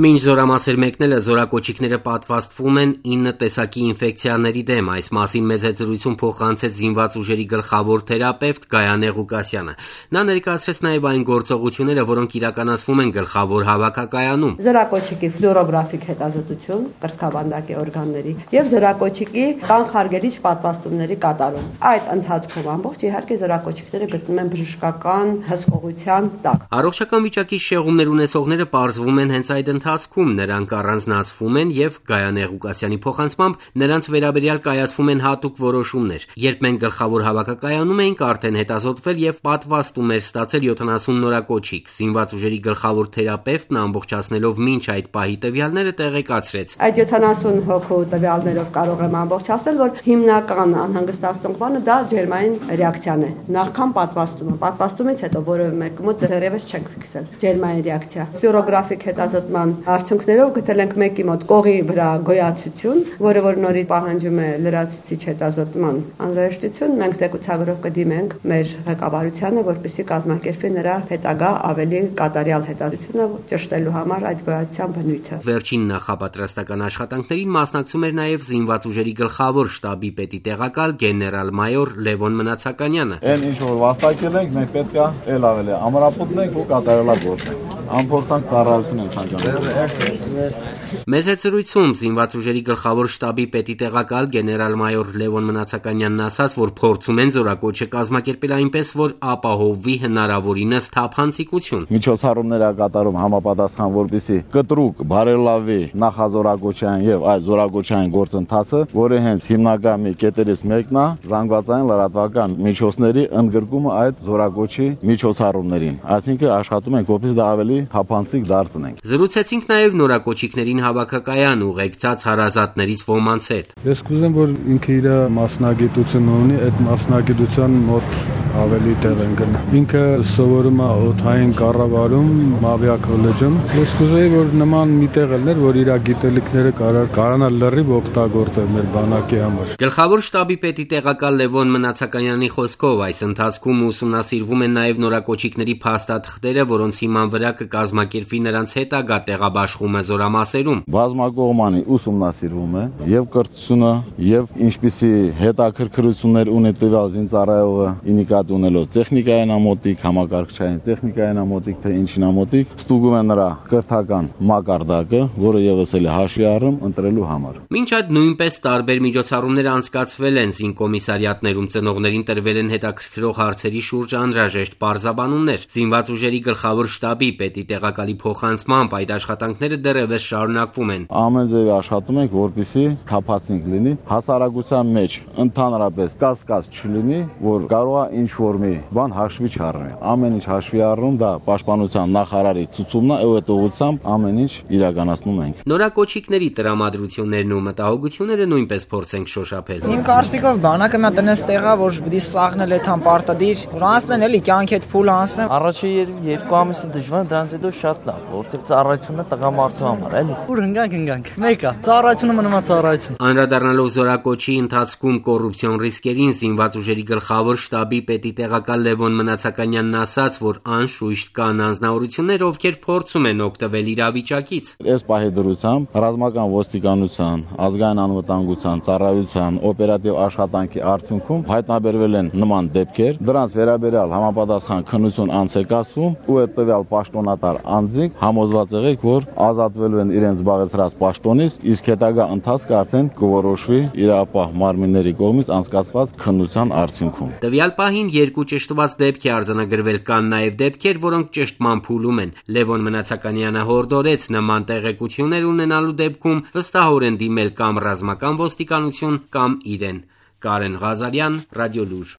Մինչ զորամասեր մեկնելը զորակոչիկները պատվաստվում են 9 տեսակի ինֆեկցիաների դեմ, այս մասին մեծ զրույցում փոխանցեց զինված ուժերի գլխավոր թերապևտ Գայանե Ղուկասյանը։ Նա ներկայացրեց նաև այն գործողությունները, որոնք իրականացվում են գլխավոր հավաքակայանում։ Զորակոչիկի ֆլուորոգրաֆիկ հետազոտություն կրծքավանդակի օրգանների եւ զորակոչիկի կանխարգելիչ պատվաստումների կատարում։ Այդ ընթացքում ամբողջ իհարկե զորակոչիկները գտնվում են բժշկական հսկողության տակ։ Առողջական վիճակի շեղումներ ունեցողները պարզվում են հենց այդ ընթացքում, նրանք առանձնացվում են եւ Գայանե Ղուկասյանի փոխանցմամբ նրանց վերաբերյալ կայացվում են հատուկ որոշումներ։ Երբ մենք գլխավոր հավաքակայանում էինք, արդեն հետազոտվել եւ պատվաստում էր ստացել 70 նորակոչիկ։ Զինված ուժերի գլխավոր թերապևտն ամբողջացնելով մինչ այդ պահի տվյալները տեղեկացրեց։ Այդ 70 հոգու տվյալներով կարող եմ ամբողջացնել, որ հիմնական անհանգստացնող բանը դա ջերմային ռեակցիան է։ Նախքան պատվաստումը, պատվաստումից հետո որևէ մեկի մոտ դեռևս չենք ֆիքսել ջերմային ռեակցիա։ Ֆլուորոգրաֆիկ հետազոտման արդյունքներով գտել ենք մեկի մոտ կողի վրա գոյացություն, որը որ նորից պահանջում է լրացուցիչ հետազոտման անհրաժեշտություն։ Մենք զեկուցագրով կդիմենք մեր ղեկավարությանը, որպեսզի կազմակերպի նրա հետագա ավելի կատարյալ հետազոտությունը ճշտելու համար այդ գոյացության բնույթը։ Վերջին նախապատրաստական աշխատանքներին մասնակցում էր նաև զինված ուժերի գլխավոր շտաբի պետի տեղակալ գեներալ-մայոր Լևոն Մնացականյանը։ Այն ինչ որ վաստակել ենք, մենք պետք է էլ ավելի ամրապնդենք ու կատարելագործենք։ Անփորձանք ծառայություն ենք ցանկանում։ Մեծ զրույցում զինված ուժերի գլխավոր շտաբի պետի տեղակալ գեներալ-մայոր Լևոն Մնացականյանն ասաց, որ փորձում են զորակոչը կազմակերպել այնպես, որ ապահովվի հնարավորինս թափանցիկություն։ Միջոցառումներ է կատարում համապատասխան, որպեսզի կտրուկ բարելավի նախազորակոչային եւ այդ զորակոչային գործընթացը, որը հենց հիմնական մի կետերից մեկն է զանգվածային լրատվական միջոցների ընդգրկումը այդ զորակոչի միջոցառումներին։ Այսինքն աշխատում ենք, որպեսզի դա ավելի թափանցիկ դարձնենք։ Զրուցեցինք նաև նորակոչիկներին հավաքակայան ուղեկցած հարազատներից ոմանց հետ։ Ես կուզեմ, որ ինքը իր մասնագիտությունը ունի, այդ մասնագիտության մոտ ավելի տեղ են գնում։ Ինքը սովորում է օդային կառավարում Մավիա քոլեջում։ Ես կուզեի, որ նման մի տեղ լիներ, որ իր գիտելիքները կարողանա լրիվ օգտագործել մեր բանակի համար։ Գլխավոր շտաբի պետի տեղակալ Լևոն Մնացականյանի խոսքով այս ընթացքում ուսումնասիրվում են նաև նորակոչիկների փաստաթղթերը, որոնց հիման վրա կկազմակերպվի նրանց հետագա տեղաբաշխումը զորամասերում։ Բազմակողմանի ուսումնասիրվում է եւ կրթությունը եւ ինչպիսի հետաքրքրություններ ունի տվյալ զինծառայողը ինիկատ ունելով տեխնիկային ամոթիկ, համակարգչային տեխնիկային ամոթիկ, թե ինչին ամոթիկ, ստուգում է նրա կրթական մակարդակը, որը եւս էլ հաշվի առում ընտրելու համար։ Մինչ այդ նույնպես տարբեր միջոցառումներ անցկացվել են զինկոմիսարիատներում, ծնողներին տրվել են հետաքրքրող հարցերի շուրջ անհրաժեշտ պարզաբանումներ։ Զինված ուժերի գլխավոր շտաբի պետի տեղակալի փոխանցմամբ այդ աշխատանքները դեռևս շարունակվում են։ Ամեն ձևի աշխատում ենք, որպեսզի թափանցիկ լինի, հասարակության մեջ ընդհանրապես կասկած չլինի, որ կարող է ինչ որ մի բան հաշվի չառնի։ Ամեն ինչ հաշվի առնում, դա պաշտպանության նախարարի ցուցումն է, այդ ուղղությամբ ամեն ինչ իրականացնում ենք։ Նորակոչիկների տրամադրություններն ու մտահոգությունները նույնպես փորձենք շոշափել։ Իմ կարծիքով բանակը մի տնես տեղա, որ պիտի սաղնել այդ համպարտադիր, որ անցնեն էլի կյանքի հետ փուլ անցնեն։ Առաջի 2 ամիսը դժվար, դրանից հետո շատ լավ, որովհետև ծառայությունը տղամարդու համար էլի։ Ուր հնգանք։ Մեկը ծառայությունը մնում է ծառայություն։ Անդրադառնալով զորակոչի ընթացքում կոռուպցիոն ռիսկերին, զինված ուժերի գլխավոր շտաբի պետի տեղակալ Լևոն Մնացականյանն ասաց, որ անշուշտ կան անձնավորություններ, ովքեր փորձում են օգտվել իրավիճակից։ Այս պահի դրությամբ ռազմական ոստիկանության, ազգային անվտանգության, ծառայության, օպերատիվ աշխատանքի արդյունքում հայտնաբերվել են նման դեպքեր, դրանց վերաբերյալ համապատասխան քննություն անց է կացվում ու այդ տվյալ պաշտոնատար անձինք համոզված եղեք, որ ազատվելու են իրենց զբաղեցրած պաշտոնից, իսկ հետագա ընթացքը արդեն կորոշվի իրապահ մարմինների կողմից անցկացված քննության արդյունքում։ Տվյալ պահին 2 ճշտված դեպք է արձանագրվել, կան նաև դեպքեր, որոնք ճշտման փուլում են։ Լևոն Մնացականյանը հորդորեց նման տեղեկություններ ունենալու դեպքում վստահորեն դիմել կամ ռազմական ոստիկանություն կամ իրեն։ Կարեն Ղազարյան, Ռադիոլուր։